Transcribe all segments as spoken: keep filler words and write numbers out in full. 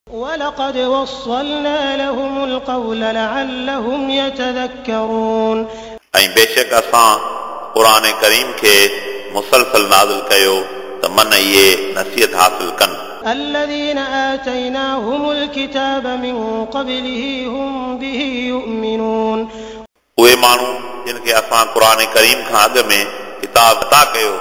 ولقد وصلنا لهم القول لعلهم يتذكرون. ऐं बेशक असां क़ुर करीम खे मुसलसल नाज़िल कयो त मन इहे नसीहत हासिल कनि। الذين آتيناهم الكتاب من قبله هم به يؤمنون. उहे माण्हू जिन खे असां क़ुर करीम खां अॻु में किताब अता कयो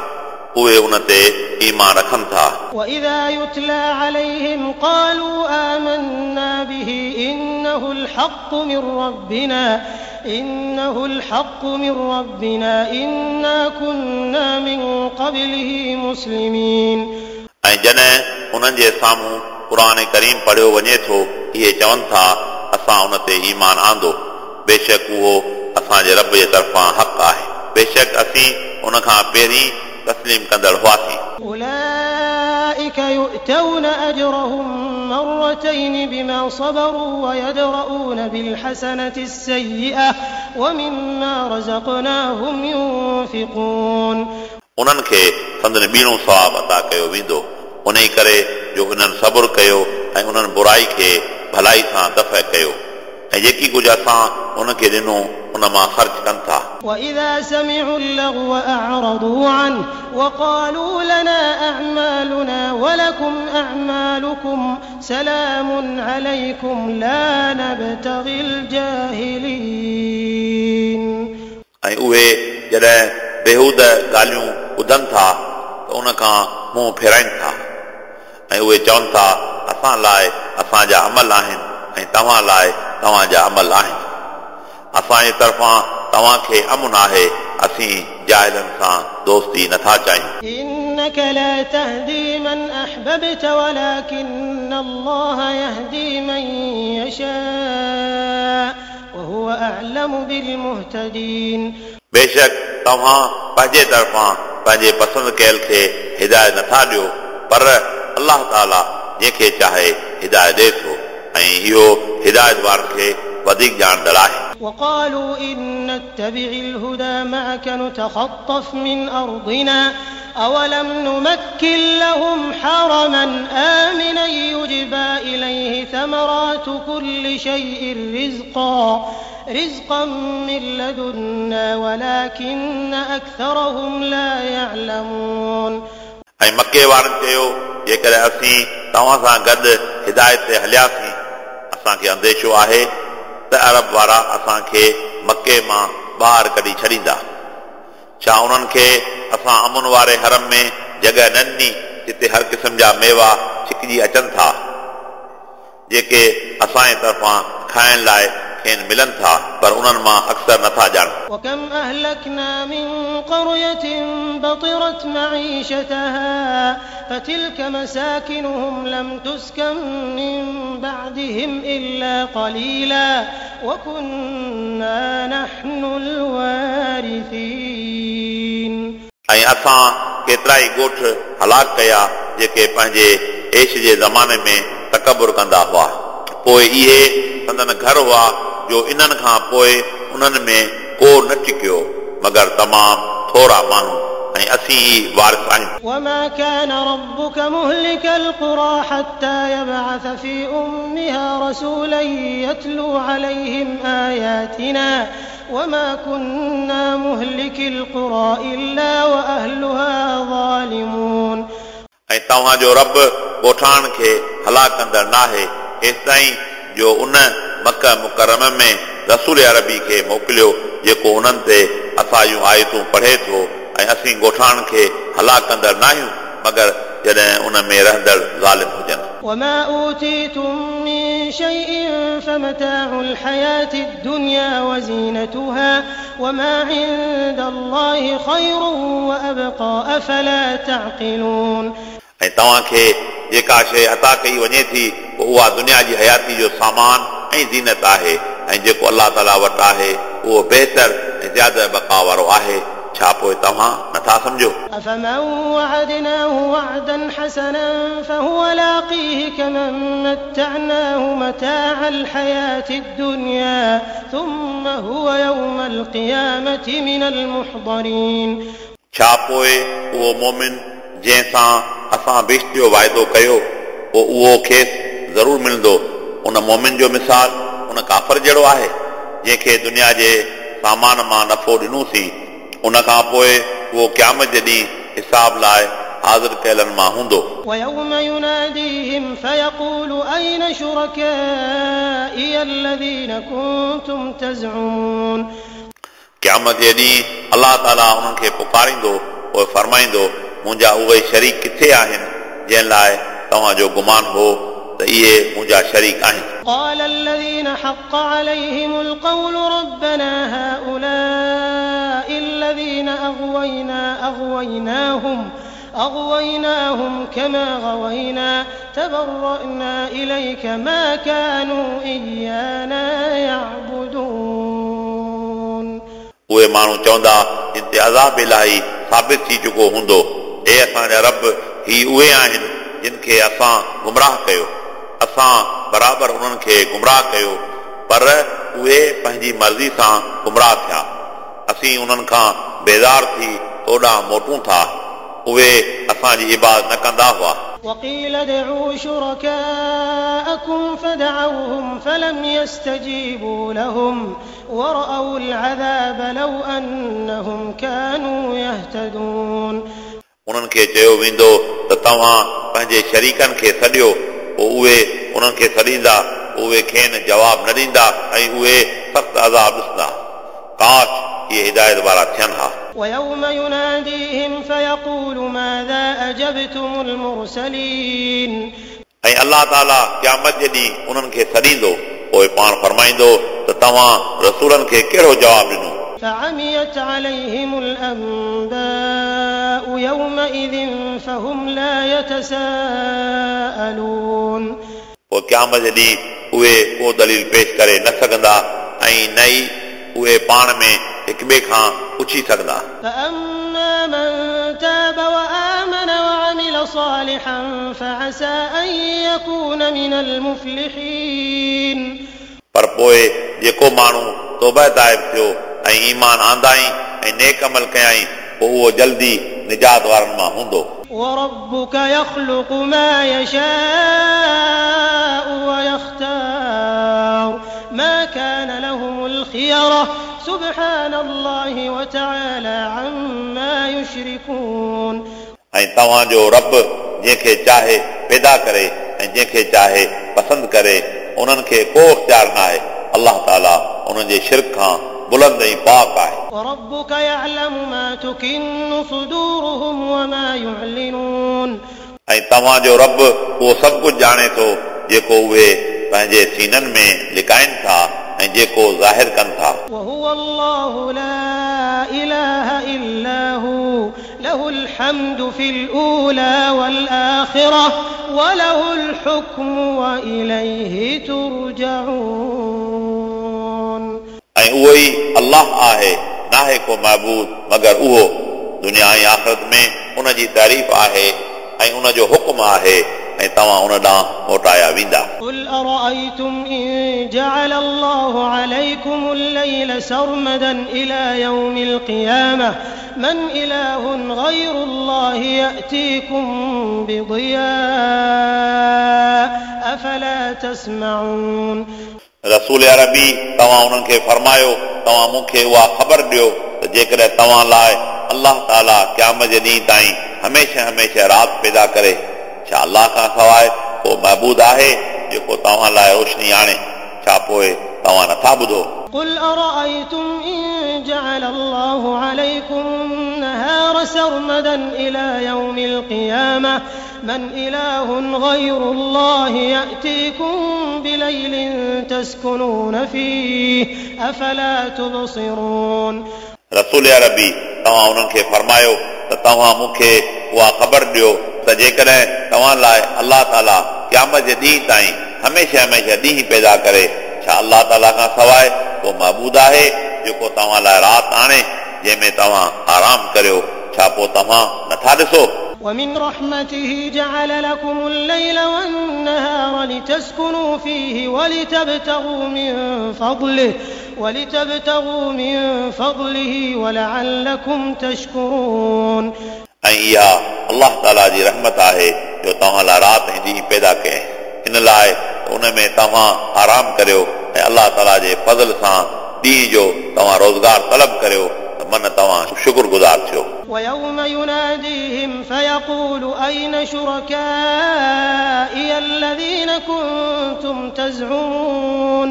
उहे उन ते ईमान रखनि था। وإذا يتلى عليهم قالوا آمنا به إنه الحق من ربنا إنه الحق من ربنا إنا كنا من قبله مسلمين. ऐं जॾहिं उन्हनि जे साम्हूं क़ुर करीम पढ़ियो वञे थो इहे चवनि था असां उन ते ईमान आंदो, बेशक उहो असांजे रब जे तरफ़ां हक़ आहे, बेशक असीं उन खां पहिरीं तस्लीम कंदड़ हुआसीं। أولئك يؤتون أجرهم مرتين بما صبروا ويدرؤون بالحسنة السيئة ومما رزقناهم ينفقون. उन्हनि खे संदन ॿीणो सवाब अता कयो वेंदो उन ई करे जो उन्हनि सब्र कयो ऐं उन्हनि बुराई खे भलाई सां दफ़ कयो ऐं जेकी कुझु असां उनखे ॾिनो उन मां ख़र्च कनि था। وإذا سمعوا اللغو أعرضوا عنه وقالوا لنا أعمالنا ولكم أعمالكم سلام عليكم لا نبتغي الجاهلين. ऐं उहे जॾहिं बेहूद ॻाल्हियूं ॿुधनि था त उन खां मुंहुं फेराइनि था ऐं उहे चवनि था असां लाइ असांजा अमल आहिनि ऐं तव्हां लाइ तव्हांजा अमल आहिनि, असांजे तरफ़ां तव्हांखे अमुन आहे, असीं जाहिलनि सां दोस्ती नथा चाहियूं। إنك لا تهدي من أحببت ولكن الله يهدي من يشاء وهو أعلم بالمهتدين. बेशक तव्हां पंहिंजे तरफ़ां पंहिंजे पसंदि कयल खे हिदायत नथा ॾियो, पर अलाह ताला जंहिंखे चाहे हिदायत ॾिए थो ऐं इहो हिदायत वारनि खे वधीक ॼाणंदड़ आहे। وقالوا إن نتبع الهدى معك نتخطف من أرضنا أولم نمكن لهم حرما آمنا يجبى إليه ثمرات كل شيء رزقا رزقا من لدنا ولكن أكثرهم لا يعلمون. ऐं मके वारनि चयो जेकॾहिं असीं तव्हां सां गॾु हिदायत ते हलियासीं असांखे अंदेशो आहे त अरब वारा असांखे मके मां ॿाहिरि कढी छॾींदा। छा उन्हनि खे असां अमुन वारे हरम में जॻह न ॾिनी जिते हर क़िस्म जा मेवा छिकजी अचनि था जेके असांजे तरफ़ां खाइण लाइ खेनि मिलनि था, पर उन्हनि मां अक्सर नथा ॼाणनि। وكم أهلكنا من قرية بطرت معيشتها فتلك مساكنهم لم تسكن من بعدهم إلا قليلا وكنا نحن الوارثين. ऐं असां केतिरा ई ॻोठ हलाक कया जेके पंहिंजे ऐश जे ज़माने में तकबुर कंदा हुआ, पोइ इहे संदन घर हुआ जो इन्हनि खां पोइ उन्हनि में को न टिकियो मगर तमामु थोरा माण्हू ऐं असीं ई वारिस आहियूं। وما كان ربك مهلك القرى حتى يبعث في أمها رسولا يتلو عليهم آياتنا وما كنا مهلك القرى إلا وأهلها ظالمون. ऐं तव्हांजो रब ॻोठाणनि खे हलाक कंदड़ नाहे एसिताईं जो उन मक मुकरम में रसूल अरबी खे मोकिलियो जेको उन्हनि ते असांजूं आयतूं पढ़े थो ऐं असीं ॻोठाणनि खे हलाक कंदड़ नाहियूं मगर जॾहिं उन में रहंदड़ ज़ालिम हुजनि। وما أوتيتم من شيء فمتاع الحياة الدنيا وزينتها وما عند الله خير وأبقى أفلا تعقلون. ऐं तव्हांखे जेका शइ अता कई वञे थी पोइ उहा दुनिया जी हयाती जो सामान ऐं ज़ीनत आहे ऐं जेको अलाह ताला वटि आहे उहो बहितर ऐं ज़्यादा बक़ा वारो आहे, छा पोइ तव्हां नथा सम्झो? أفمن وعدناه وعدا حسنا فهو لاقيه كمن متعناه متاع الحياة الدنيا ثم هو يوم القيامة من المحضرين. छा पोइ उहो मोमिन जंहिंसां असां बिश्त जो वाइदो कयो पोइ उहो खेसि ज़रूरु मिलंदो। उन मोमिन जो मिसाल उन काफ़िर जहिड़ो आहे जंहिंखे दुनिया जे सामान मां नफ़ो ॾिनोसीं, उन खां पोइ उहो क़यामत जे ॾींहुं हिसाब लाइ हाज़िर कयलनि मां हूंदो। ويوم يناديهم فيقول أين شركائي الذين كنتم تزعمون क़यामत जे ॾींहुं अलाह ताला उन्हनि खे पुकारींदो, पोइ फरमाईंदो मुंहिंजा उहे शरीक किथे आहिनि जंहिं लाइ तव्हांजो गुमान हो त इहे मुंहिंजा शरीक आहिनि। قال الذين حق عليهم القول ربنا هؤلاء الذين أغوينا أغويناهم أغويناهم كما غوينا تبرأنا إليك ما كانوا إيانا يعبدون। उहे माण्हू चवंदा जिन ते अज़ाब इलाही साबित थी चुको हूंदो, ए असांजा रब, ही उहे आहिनि जिन खे असां गुमराह कयो, असां बराबरि उन्हनि खे गुमराह कयो, पर उहे पंहिंजी मर्ज़ी सां गुमराह थिया। असीं उन्हनि खां बेज़ार थी तोॾां मोटूं था, उहे असांजी इबादत न कंदा हुआ। وقيل ادعوا شركاءكم فدعوهم فلم يستجيبوا لهم ورأوا العذاب لو أنهم كانوا يهتدون। उन्हनि खे चयो वेंदो त तव्हां पंहिंजे शरीकनि खे सॾियो, पोइ उहे उन्हनि खे सॾींदा, उहे खेनि जवाब न ॾींदा ऐं उहे सख़्तु अज़ाब ॾिसंदा। काश इहे हिदायत वारा थियनि हा। ويوم يناديهم فيقول ماذا أجبتم المرسلين। ऐं अलाह ताला क़यामत जे ॾींहुं उन्हनि खे सॾींदो, पोइ पाण फरमाईंदो त तव्हां रसूलनि खे कहिड़ो जवाब ॾिनो। فعميت عليهم الأنباء يومئذ فهم لا يتساءلون। पोइ क़यामत जे ॾींहुं उहे को दलील पेश करे न सघंदा ऐं न ई उहे पाण में हिक ॿिए खां पुछी सघंदा। فأما من تاب وآمن وعمل صالحا فعسى أن يكون من المفلحين। पर पोइ जेको माण्हू तौबा ताइब थियो ऐं ईमान आंदाई ऐं नेक अमल कयाई, पोइ उहो जल्दी निजात वारनि मां हूंदो। وربك يخلق ما يشاء ويختار ما كان لهم الخيرة سبحان الله وتعالى عما يشركون। ऐं तव्हांजो रब जंहिंखे चाहे पैदा करे ऐं जंहिंखे चाहे पसंदि करे, उन्हनि खे को इख़्तियार न आहे। अलाह ताला उन्हनि जे शिरक खां बुलंद ऐं पाक आहे। وربك يعلم ما تكن صدورهم وما يعلنون। ऐं तव्हांजो रब उहो सभु कुझु ॼाणे थो जेको उहे पंहिंजे सीननि में लिकाइनि था ऐं जेको ज़ाहिर कनि था। وهو الله لا إله إلا هو له الحمد في الأولى والآخرة وله الحكم وإليه ترجعون। ऐं उहो ई अलाह आहे, नाहे को महबूद मगर उहो। दुनिया ऐं आख़िरत में उन जी तारीफ़ आहे ऐं उन जो हुकुम आहे ऐं तव्हां उन ॾांहुं मोटाया वेंदा। قل أرأيتم إن جعل الله عليكم الليل سرمدا إلى يوم القيامة من إله غير الله يأتيكم بضياء أفلا تسمعون। रसूल अरबी तव्हां उन्हनि खे फरमायो, तव्हां मूंखे उहा ख़बर ॾियो त जेकॾहिं तव्हां लाइ अलाह ताला क़यामत जे ॾींहुं ताईं हमेशह हमेशह राति पैदा करे, छा अलाह खां सवाइ को महबूद आहे जेको तव्हां लाइ रोशनी आणे? छा पोइ तव्हां नथा ॿुधो? قل أرأيتم إن جعل الله عليكم النهار سرمدا إلى يوم القيامة من إله غير الله يأتيكم بليل تسكنون فيه أفلا تبصرون। रसूल अरबी तव्हां उन्हनि खे फरमायो त तव्हां मूंखे उहा ख़बर ॾियो त जेकॾहिं तव्हां लाइ अलाह ताला क़यामत जे ॾींहुं ताईं हमेशह हमेशह ॾींहुं पैदा करे, छा अलाह ताला खां सवाइ को महबूद आहे जेको तव्हां लाइ राति आणे जंहिंमें तव्हां आराम करियो? छा पोइ तव्हां नथा ॾिसो? ومن رحمته جعل لكم الليل والنهار لتسكنوا فيه ولتبتغوا من فضله ولتبتغوا من فضله ولعلكم تشكرون. ऐं इहा अलाह ताला जी रहमत आहे जो तव्हां लाइ राति ऐं ॾींहुं पैदा कयईं, इन इन लाइ उन में तव्हां आराम करियो ऐं अलाह ताला जे फज़ल सां ॾींहं जो तव्हां रोज़गार तलब करियो त मन तव्हां शुक्रगुज़ार थियो। ويوم يناديهم فيقول أين شركائي الذين كنتم تزعمون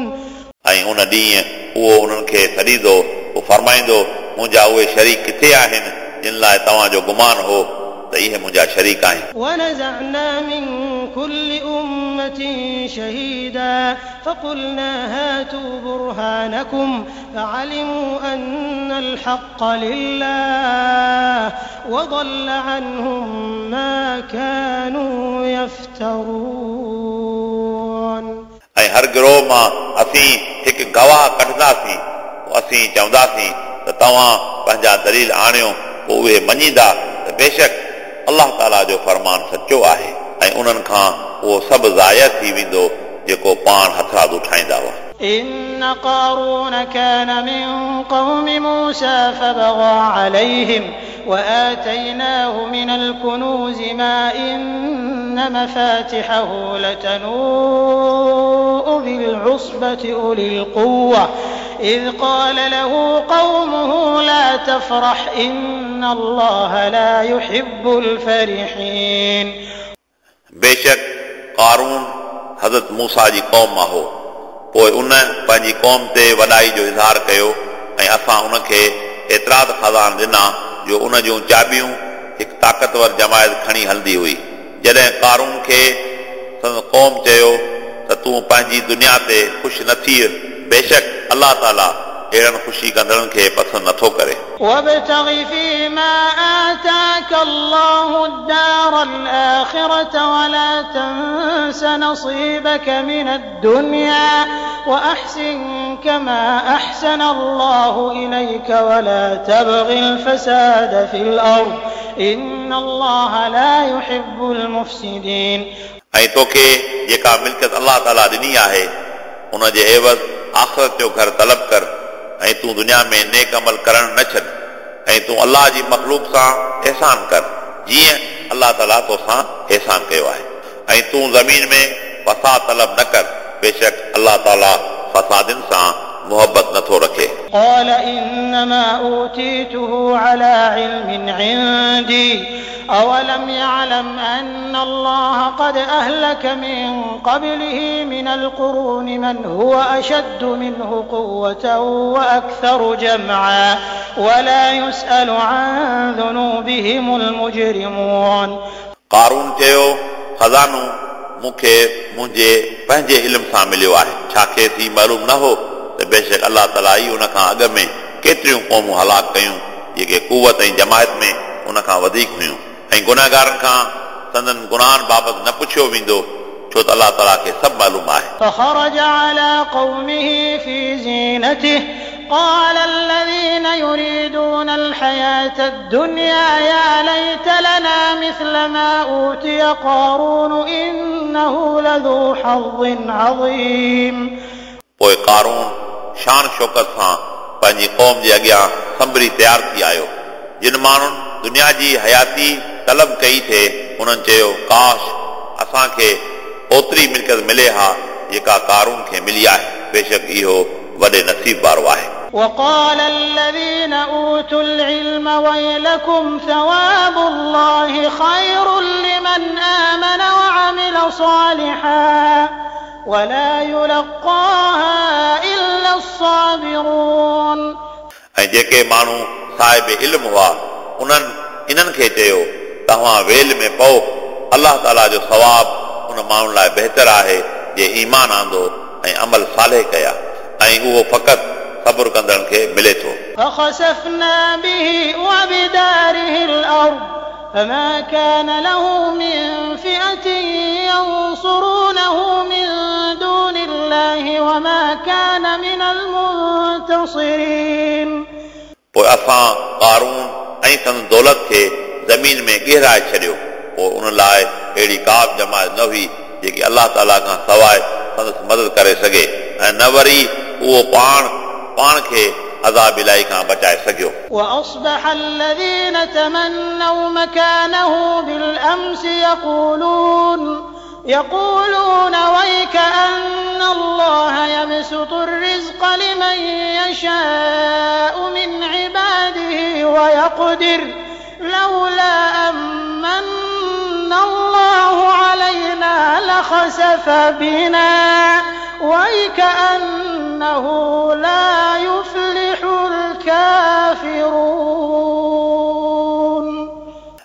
ऐं उन ॾींहुं उहो उन्हनि खे सॾींदो, पोइ फरमाईंदो मुंहिंजा उहे शरीक किथे आहिनि जिन लाइ तव्हांजो गुमान हो त इहे मुंहिंजा शरीक आहिनि। ونزعنا من كل أمة شهيدا فقلنا هاتوا برهانكم فعلموا أن الحق لله وضل عنهم ما كانوا يفترون। ऐं हर गिरोह मां असीं हिकु गवाह कढंदासीं, पोइ असीं चवंदासीं त तव्हां पंहिंजा दलील आणियो, पोइ उहे मञींदा त बेशक अलाह ताला जो फरमान सचो आहे ऐं उन्हनि खां उहो सभु ज़ाया थी वेंदो जेको पाण हथरादू ठाहींदा हुआ। إن قارون كان من قوم موسى فبغى عليهم وآتيناه من الكنوز ما إن مفاتحه لتنوء بالعصبة أولي القوة إذ قال له قومه لا تفرح إن الله لا يحب الفرحين। बेशक कारून हज़रत मूसा जी क़ौम मां हो, पोइ उन पंहिंजी क़ौम ते वॾाई जो इज़हार कयो ऐं असां उनखे एतिरा त ख़ज़ाना ॾिना जो उन जूं चाबियूं हिकु ताक़तवर जमायत खणी हलंदी हुई। जॾहिं कारून खे संदसि क़ौम चयो त तूं पंहिंजी दुनिया ते ख़ुशि न थी, बेशक अलाह ताला अहिड़नि ख़ुशी कंदड़नि खे पसंदि नथो करे। وابتغ فيما آتاك الله الدار الآخرة ولا تنس نصيبك من الدنيا وأحسن كما أحسن الله إليك ولا تبغ الفساد في الأرض إن الله لا يحب المفسدين। ऐं तोखे जेका मिल्कियत अलाह ताला ॾिनी आहे उन जे एवज़ आख़िरत जो घर तलब कर ऐं तूं दुनिया में नेक अमल करणु न छॾ ऐं तूं अलाह जी मख़लूक सां एहसान कर जीअं अलाह ताला तोसां एहसान कयो आहे ऐं तूं ज़मीन में फसाद तलब न कर, बेशक अलाह ताला फसादिन सां मोहबत नथो रखे। قال إنما أوتيته على علم عندي أولم يعلم أن الله قد أهلك من قبله من القرون من هو أشد منه قوة وأكثر جمعا ولا يسأل عن ذنوبهم المجرمون। कारून चयो ख़ज़ानो मूंखे मुंहिंजे पंहिंजे इल्म सां मिलियो आहे, छा खेसि मालूम न हो त बेशक अलाह ताला ई उन खां अॻु में केतिरियूं क़ौमूं हलाक कयूं जेके कुवत ऐं जमायत में उन खां वधीक हुयूं ऐं गुनाहगारनि खां संदन गुनाहनि बाबति न पुछियो वेंदो, छो त अलाह ताला खे सभु मालूम आहे। فخرج على قومه في زينته قال الذين يريدون الحياة الدنيا يا ليت لنا مثل ما أوتي قارون إنه لذو حظ عظيم। पोइ कारून शान शौकत सां पंहिंजी क़ौम जे अॻियां संभरी तयारु थी आयो। जिन माण्हुनि दुनिया जी हयाती तलब कई थिए उन्हनि चयो काश असांखे ओतिरी मिल्कियत मिले हा जेका कारून खे मिली आहे, बेशक इहो वॾे नसीब वारो आहे। وقال الذين أوتوا العلم ويلكم ثواب الله خير لمن آمن وعمل صالحا ولا يلقاها إلا الصابرون। ऐं जेके माण्हू साहिब इल्म हुआ उन्हनि इन्हनि खे चयो तव्हां वेल में पओ, अलाह ताला जो सवाब उन माण्हुनि लाइ बहितर आहे जे ईमान आंदो ऐं अमल साले कया ऐं उहो फ़क़ति सब्र कंदड़नि खे मिले थो। فخسفنا به وبداره الأرض فما كان له من فئة ينصرونه من دون الله وما كان من المنتصرين। पोइ असां कारून ऐं संदसि दौलत खे ज़मीन में गिराए छॾियो, पोइ उन लाइ अहिड़ी का बि जमायत न हुई जेकी अलाह ताला खां सवाइ संदसि मदद करे सघे ऐं न वरी उहो पाण पाण खे अज़ाब इलाही खां बचाए सघियो। وأصبح الذين تمنوا مكانه بالأمس يقولون يقولون ويكأن الله يبسط الرزق لمن يشاء من عباده ويقدر لولا أمن الله علينا لخسف بنا ويكأنه لا يفلح الكافرون.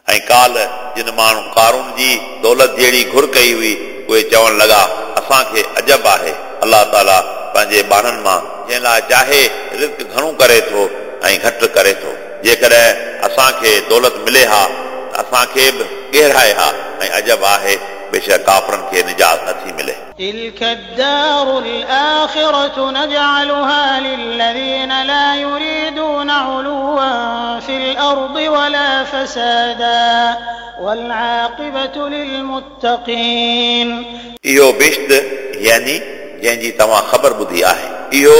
ऐं काल जिन माण्हू कारून जी दौलत जहिड़ी घुर कई हुई उहे चवणु लॻा असांखे अजब आहे अलाह ताला पंहिंजे ॿारनि मां जंहिं लाइ चाहे रिज़्क घणो करे थो ऐं घटि करे थो। जेकॾहिं असांखे दौलत मिले हा त असांखे बि ॻेराए हा ऐं अजब आहे बेशक काफ़रनि खे निजात नथी मिले। تلك الدار الآخرة نجعلها للذين لا يريدون علوا في الأرض ولا فسادا والعاقبة للمتقين. इहो बिश्त यानी जंहिंजी तव्हां ख़बर ॿुधी आहे इहो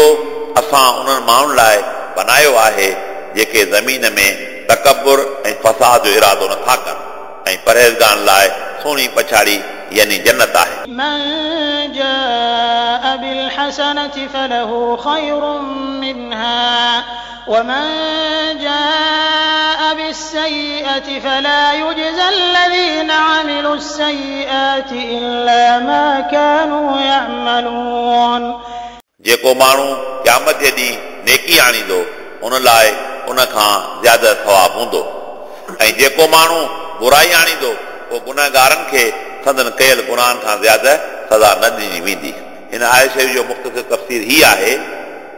असां उन्हनि माण्हुनि लाइ बनायो आहे जेके ज़मीन में तकबुर ऐं फसाद जो इरादो नथा कनि ऐं परहेज़गारनि लाइ सुहिणी पछाड़ी यानी जन्नत आहे। من جاء بالحسنة فله خير منها ومن جاء بالسيئة فلا يجزى الذين عملوا السيئات إلا ما كانوا يعملون. जेको माण्हू क़यामत जे ॾींहुं नेकी आणींदो उन लाइ उन खां ज़्यादा सवाब हूंदो ऐं जेको माण्हू बुराई आणींदो पोइ गुनहगारनि खे संदन कयल गुनाहनि खां ज़्यादा सज़ा न ॾिनी वेंदी। हिन आयत शरीफ़ जो मुख़्तसर तफ़सीर ही आहे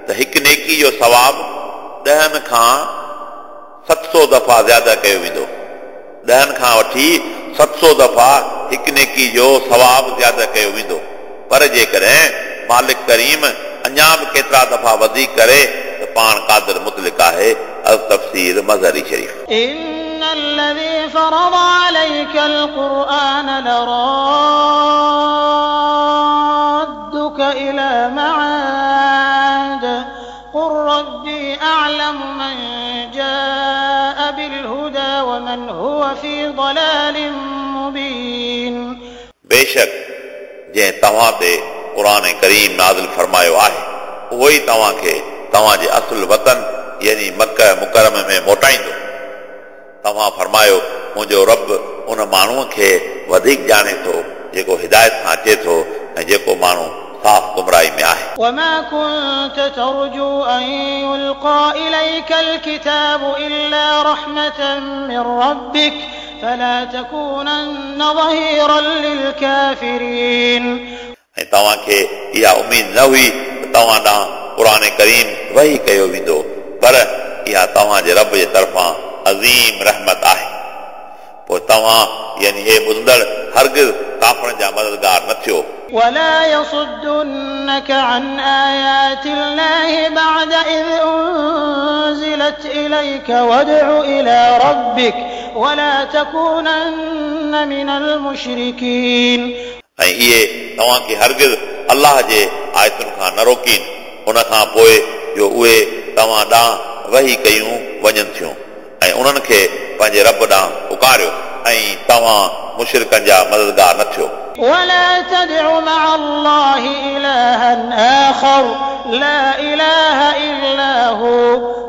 त हिकु नेकी जो सवाब ॾहनि खां सत सौ दफ़ा ज़्यादा कयो वेंदो। ॾहनि खां वठी सत सौ दफ़ा हिकु नेकी जो सवाब ज़्यादा कयो वेंदो। पर जेकॾहिं मालिक करीम अञा बि केतिरा दफ़ा वधीक करे त पाण क़ादिर मुतलिक आहे। अल तफ़सीर मज़हरी शरीफ़। إن الذي فرض عليك القرآن لرادك إلى معاد قل ربي أعلم من جاء بالهدى ومن هو في ضلال مبين. बेशक जंहिं तव्हां ते क़ुर करीम नाज़िल फरमायो आहे उहो ई तव्हांखे तव्हांजे असुल वतन यानी मक्का मुकर्रम में मोटाईंदो। तव्हां फरमायो मुंहिंजो रब उन माण्हूअ खे वधीक ॼाणे थो जेको हिदायत सां अचे थो ऐं जेको माण्हू साफ़ गुमराही में आहे। وما كنت ترجو أن يلقى إليك الكتاب إلا رحمة من ربك فلا تكونن ظهيرا للكافرين. ऐं तव्हांखे इहा उमेद न हुई त तव्हां ॾांहुं क़ुर करीम वही कयो वेंदो पर इहा तव्हांजे रब जे तरफ़ां अज़ीम रहमत आहे। पोइ तव्हां यानी हे ॿुधंदड़ हरगिज़ काफ़रनि जा मददगार न थियो। ولا يصدنك عن آيات الله بعد إذ أنزلت إليك وادع إلى ربك ولا تكونن من المشركين. ऐं इहे तव्हांखे हरगिज़ अलाह जे आयतुनि खां न रोकीनि उन खां पोइ जो उहे तव्हां ॾांहुं वही कयूं वञनि थियूं ऐं उन्हनि खे पंहिंजे रब ॾांहुं पुकारियो ऐं तव्हां मुशरिकनि जा मददगार न थियो। ولا تدع مع الله إلها آخر لا إله إلا هو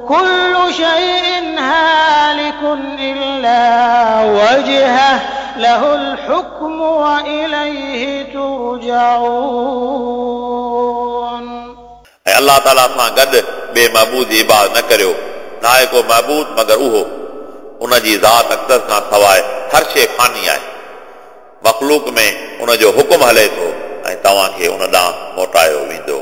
كل شيء هالك إلا وجهه له الحكم وإليه ترجعون. ऐं अलाह ताला सां गॾु ॿिए महबूद जी इबादत न करियो, न आहे को महबूद मगर उहो। उन जी ज़ात अक़दस खां सवाइ हर शइ फ़ानी आहे। मख़लूक में उन जो हुकुम हले थो ऐं तव्हांखे उन ॾांहुं मोटायो वेंदो।